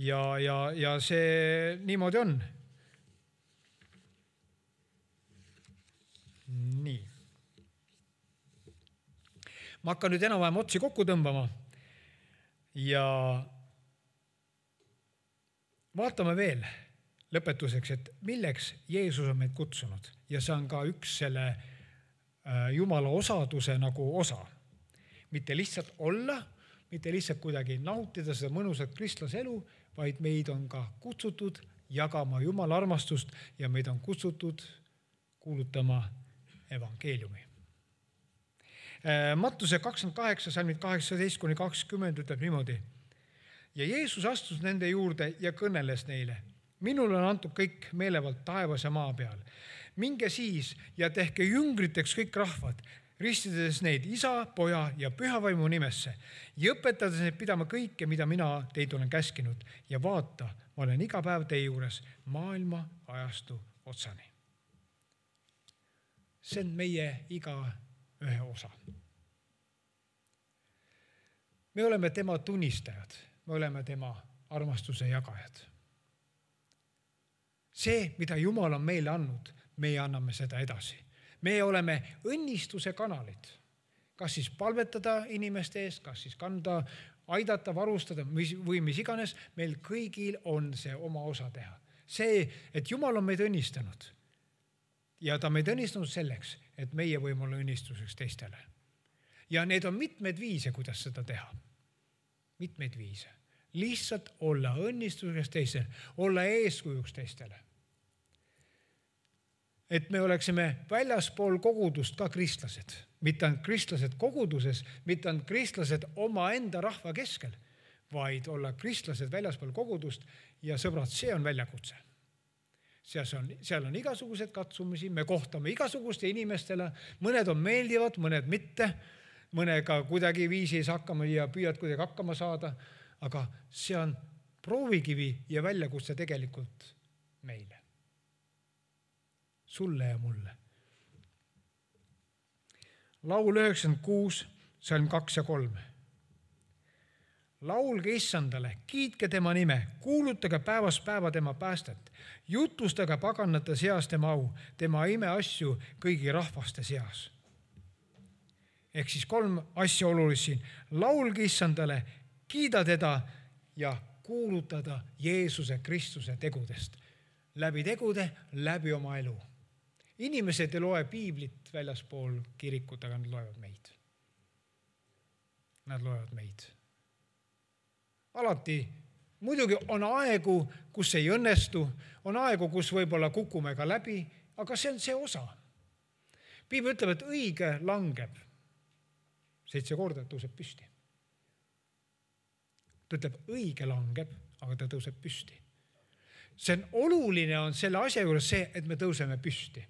ja see niimoodi on. Nii. Ma hakkan nüüd enam-vähem otsi kokku tõmbama ja vaatame veel lõpetuseks, et milleks Jeesus on meid kutsunud ja see on ka üks selle Jumala osaduse nagu osa. Mitte lihtsalt olla, mitte lihtsalt kuidagi nautida seda mõnusat kristlase elu, vaid meid on ka kutsutud jagama Jumala armastust ja meid on kutsutud kuulutama evangeeliumi. Mattuse 28, salmid 18-20 ütleb niimoodi. Ja Jeesus astus nende juurde ja kõneles neile. Minul on antud kõik meelevald taevas ja maa peal. Minge siis ja tehke jüngriteks kõik rahvad, ristides neid Isa, Poja ja Pühavaimu nimesse ja õpetades neid pidama kõike, mida mina teid olen käskinud. Ja vaata, ma olen iga päev teie juures maailma ajastu otsani. See on meie iga ühe osa. Me oleme tema tunnistajad, me oleme tema armastuse jagajad. See, mida Jumal on meile andnud, meie anname seda edasi. Me oleme õnnistuse kanalid, kas siis palvetada inimeste eest, kas siis kanda, aidata, varustada või mis iganes, meil kõigil on see oma osa teha. See, et Jumal on meid õnnistanud ja ta meid õnnistanud selleks, et meie võime olla õnnistuseks teistele. Ja need on mitmed viise, kuidas seda teha. Mitmeid viise. Lihtsalt olla õnnistuseks teistele, olla eeskujuks teistele. Et me oleksime väljaspool kogudust ka kristlased. Mitte on kristlased koguduses, mitte on kristlased oma enda rahva keskel, vaid olla kristlased väljaspool kogudust ja sõbrad, see on väljakutse. Seal on igasugused katsumisi, me kohtame igasuguste inimestele, mõned on meeldivad, mõned mitte, mõnega kuidagi viisi hakkama ja püüad kuidagi hakkama saada, aga see on proovikivi ja väljakutse tegelikult meile. Sulle ja mulle. Laul 96, salm 2 ja 3. laulge issandale, kiitke tema nime, kuulutage päevast päeva tema päästet, jutustage paganate seas tema au, tema imeasju kõigi rahvaste seas. Ehk siis 3 asja olulist siin. Laulge issandale, kiida teda ja kuulutada Jeesuse Kristuse tegudest. Läbi tegude, läbi oma elu. Inimesed ei loe piiblit väljaspool kirikut, aga nad loevad meid. Nad loevad meid. Alati, muidugi on aegu, kus ei õnnestu, on aegu, kus võib-olla kukume ka läbi, aga see on see osa. Piibel ütleb, et õige langeb 7 korda, tõuseb püsti. Ta ütleb, õige langeb, aga ta tõuseb püsti. See on oluline on selle asja juures see, et me tõuseme püsti.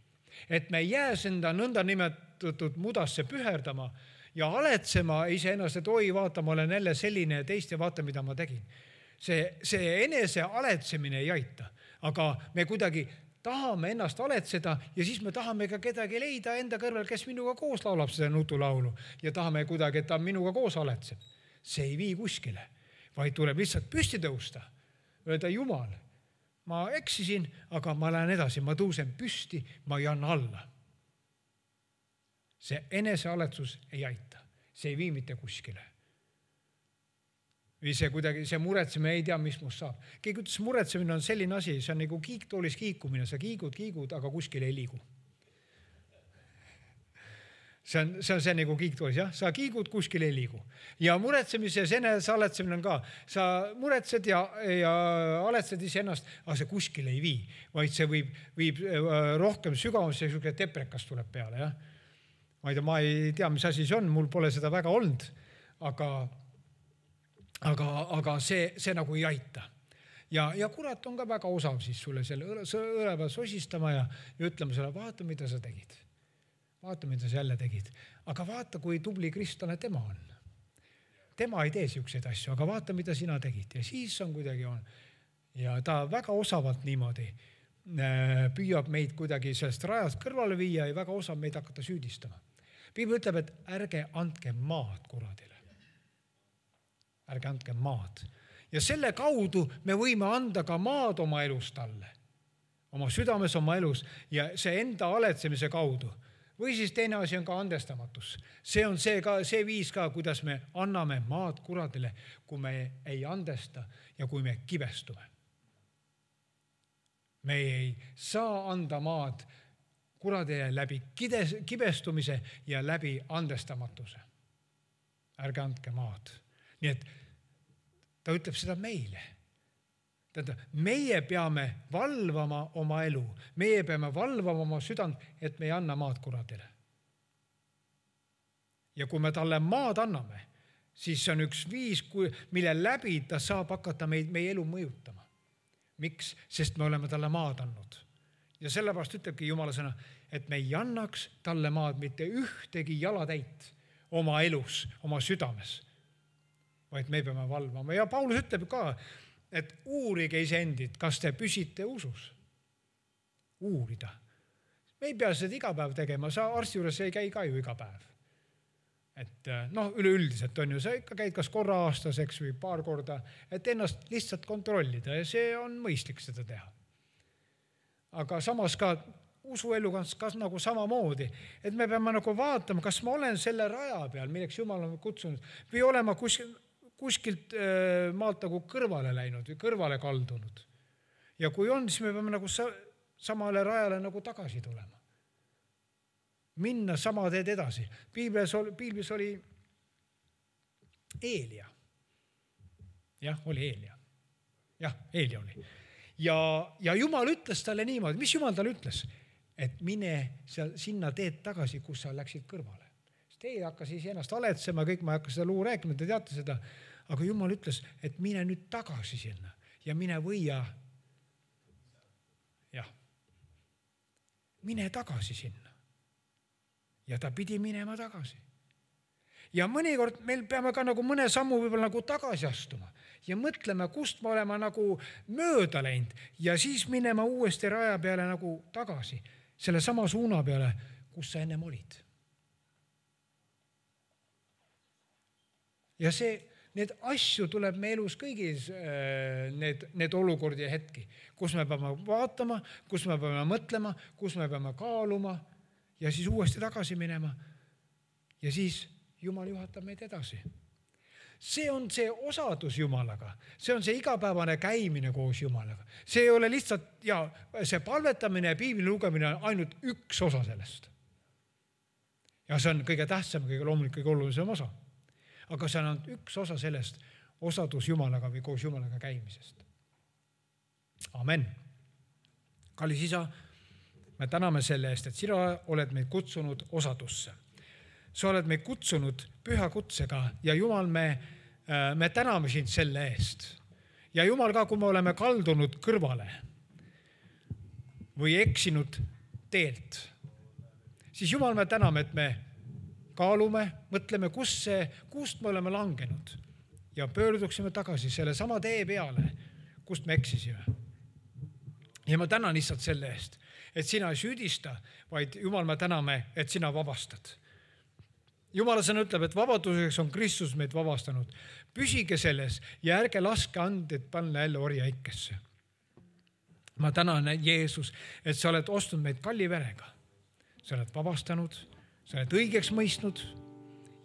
Et me ei jää enda nõnda nimetatud mudasse püherdama ja aletsema iseennast, et oi, vaata, ma olen jälle selline ja teist ja vaata, mida ma tegin. See enese aletsemine ei aita, aga me kuidagi tahame ennast aletseda ja siis me tahame ka kedagi leida enda kõrval, kes minuga koos laulab seda nutulaulu ja tahame kuidagi, et ta minuga koos aletseb. See ei vii kuskile, vaid tuleb lihtsalt püsti tõusta. Öelda, Jumal, ma eksisin, aga ma lähen edasi, ma tõusen püsti, ma ei anna alla. See enesealetsus ei aita, see ei vii mitte kuskile. Või see muretsemine ei tea, mis must saab. Keegi ütles, muretsemine on selline asi, see on nagu kiiktoolis kiikumine, sa kiigud, aga kuskil ei liigu. See on nagu kiiktoolis, jah? Sa kiigud, kuskil ei liigu. Ja muretsemise ja enesealetsemine on ka. Sa muretsed ja aletsed iseennast, aga see kuskil ei vii, vaid see viib rohkem sügavasse, selline deprekas tuleb peale, jah? Ma ei tea, mis asi see on, mul pole seda väga olnud, aga see nagu ei aita. Ja kurat on ka väga osav siis sulle selle õleva sosistama ja ütlema sulle, vaata, mida sa tegid. Vaata, mida sa jälle tegid. Aga vaata, kui tubli kristlane tema on. Tema ei tee siukseid asju, aga vaata, mida sina tegid. Ja siis on kuidagi on. Ja ta väga osavalt niimoodi püüab meid kuidagi sellest rajast kõrvale viia ja väga osav meid hakata süüdistama. Piibel ütleb, et ärge andke maad kuradile. Ärge andke maad. Ja selle kaudu me võime anda ka maad oma elus talle. Oma südames, oma elus ja see enda aletsemise kaudu. Või siis teine asi on ka andestamatus. See on see viis ka, kuidas me anname maad kuradile, kui me ei andesta ja kui me kibestume. Me ei saa anda maad kuradile läbi kibestumise ja läbi andestamatuse. Ärge andke maad. Nii et ta ütleb seda meile. Meie peame valvama oma elu. Meie peame valvama oma südant, et me ei anna maad kuradile. Ja kui me talle maad anname, siis see on üks viis, mille läbi ta saab hakata meie elu mõjutama. Miks? Sest me oleme talle maad andnud. Ja sellepärast ütlebki Jumala sõna, et me ei annaks talle maad mitte ühtegi jalatäit oma elus, oma südames, vaid me peame valvama. Ja Paulus ütleb ka, et uurige iseendid, kas te püsite usus. Uurida. Me ei pea seda iga päev tegema, sa arsti juures ei käi ka ju iga päev. Et üleüldiselt on ju, sa ikka käid kas korra aastaseks või paar korda, et ennast lihtsalt kontrollida ja see on mõistlik seda teha. Aga samas ka usueluga kas nagu samamoodi, et me peame nagu vaatama, kas ma olen selle raja peal, milleks Jumal on kutsunud, või olema kuskilt maalt nagu kõrvale läinud või kõrvale kaldunud. Ja kui on, siis me peame nagu samale rajale nagu tagasi tulema. Minna sama teed edasi. Piiblis oli Eelia. Jah, oli Eelia. Jah, Eelia oli. Ja Jumal ütles talle niimoodi. Mis Jumal talle ütles? Et mine sinna teed tagasi, kus sa läksid kõrvale. Teie hakkas siis ennast aletsema, kõik ma ei hakka seda luu rääkima, te teate seda. Aga Jumal ütles, et mine nüüd tagasi sinna ja mine võia. Jah, mine tagasi sinna. Ja ta pidi minema tagasi. Ja mõnikord meil peame ka nagu mõne sammu võib-olla nagu tagasi astuma ja mõtlema, kust me oleme nagu mööda läinud ja siis minema uuesti raja peale nagu tagasi, selle sama suuna peale, kus sa ennem olid. Ja see Need asju tuleb me elus kõigis need olukordi ja hetki, kus me peame vaatama, kus me peame mõtlema, kus me peame kaaluma ja siis uuesti tagasi minema. Ja siis Jumal juhatab meid edasi. See on see osadus Jumalaga. See on see igapäevane käimine koos Jumalaga. See ei ole lihtsalt, ja see palvetamine ja piibli lugemine on ainult üks osa sellest. Ja see on kõige tähtsam, kõige loomulik, kõige olulisem osa. Aga see on üks osa sellest osadus Jumalaga või koos Jumalaga käimisest. Amen. Kallis Isa, me täname selle eest, et sina oled meid kutsunud osadusse. Sa oled meid kutsunud püha kutsega ja Jumal, me täname sind selle eest. Ja Jumal ka, kui me oleme kaldunud kõrvale või eksinud teelt, siis Jumal, me täname, et me kaalume, mõtleme, kust me oleme langenud ja pöörduksime tagasi selle sama tee peale, kust me eksisime. Ja ma tänan lihtsalt selle eest, et sina ei süüdista, vaid Jumal, me täname, et sina vabastad. Jumala sõna ütleb, et vabaduseks on Kristus meid vabastanud. Püsige selles ja ärge laske anded panna jälle orjaikesse. Ma tänan, Jeesus, et sa oled ostnud meid kalli verega. Sa oled vabastanud, sa oled õigeks mõistnud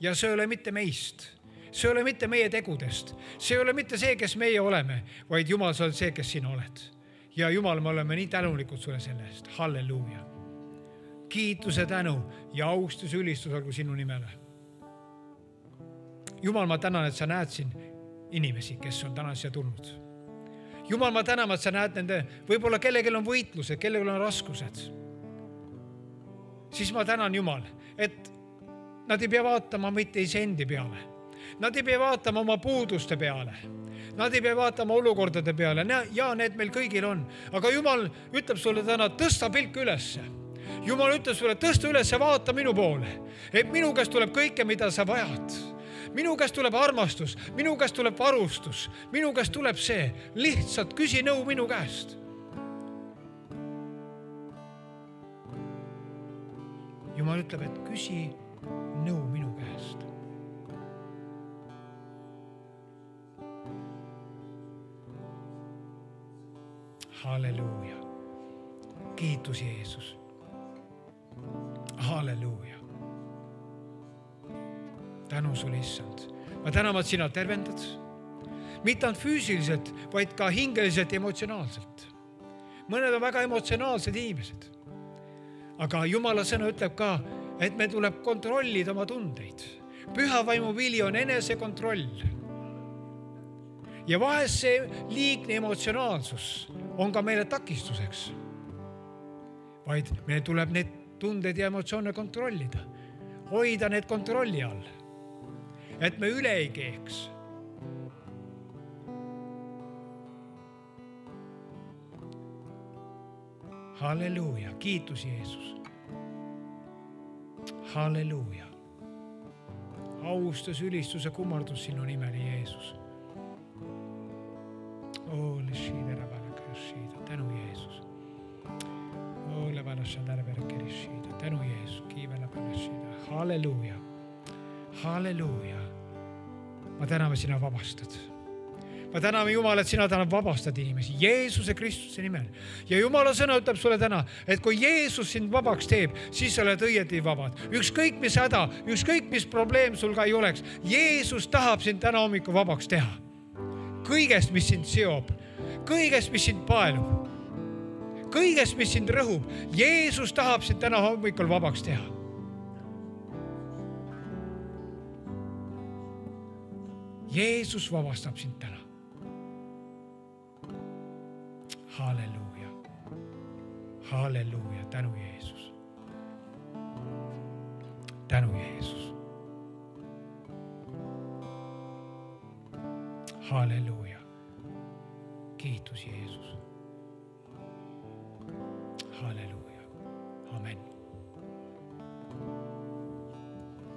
ja see ei ole mitte meist. See ei ole mitte meie tegudest. See ei ole mitte see, kes meie oleme, vaid Jumal, sa oled see, kes sina oled. Ja Jumal, me oleme nii tänulikud sulle selle eest. Halleluuja. Kiituse tänu ja austus ülistus olgu sinu nimele. Jumal, ma tänan, et sa näed siin inimesi, kes on täna siia tulnud. Jumal, ma tänan, et sa näed nende, võib-olla kellegil on võitlused, kellegil on raskused. Siis ma tänan, Jumal, et nad ei pea vaatama mitte isendi peale. Nad ei pea vaatama oma puuduste peale. Nad ei pea vaatama olukordade peale. Ja need meil kõigil on. Aga Jumal ütleb sulle täna, tõsta pilk ülesse. Jumal ütleb sulle, tõsta üles ja vaata minu poole. Et minu käest tuleb kõike, mida sa vajad. Minu käest tuleb armastus, minu käest tuleb varustus, minu käest tuleb see. Lihtsalt küsi nõu minu käest. Jumal ütleb, et küsi nõu minu käest. Halleluuja. Kiitus Jeesus. Halleluuja. Tänu sulle, issand. Ma täname, et sina tervendad. Mitte ainult füüsiliselt, vaid ka hingeliselt ja emotsionaalselt. Mõned on väga emotsionaalsed inimesed. Aga Jumala sõna ütleb ka, et me tuleb kontrollida oma tundeid. Püha vaimu vili on enesekontroll. Ja vahest see liigne emotsionaalsus on ka meile takistuseks. Vaid meil tuleb need tunded ja emotsioone kontrollida. Hoida need kontrolli all. Et me üle ei keeks. Halleluuja. Kiitus Jeesus. Halleluuja. Austus, ülistus ja kummardus sinu nimeli, Jeesus. Tänu Jeesus. Tänu Jeesus. Halleluuja. Halleluuja. Ma täname, sina vabastad. Ma täname Jumal, et sina täna vabastad inimesi Jeesuse Kristuse nimel. Ja Jumala sõna ütleb sulle täna, et kui Jeesus sind vabaks teeb, siis sa oled õieti vabad. Ükskõik mis häda, ükskõik mis probleem sul ka ei oleks. Jeesus tahab sind täna hommiku vabaks teha. Kõigest, mis sind seob, kõigest, mis sind paelub, kõigest, mis sind rõhub. Jeesus tahab sind täna hommikul vabaks teha. Jeesus vabastab sind täna. Halleluuja. Halleluuja. Tänu Jeesus. Tänu Jeesus. Halleluuja. Kiitus Jeesus.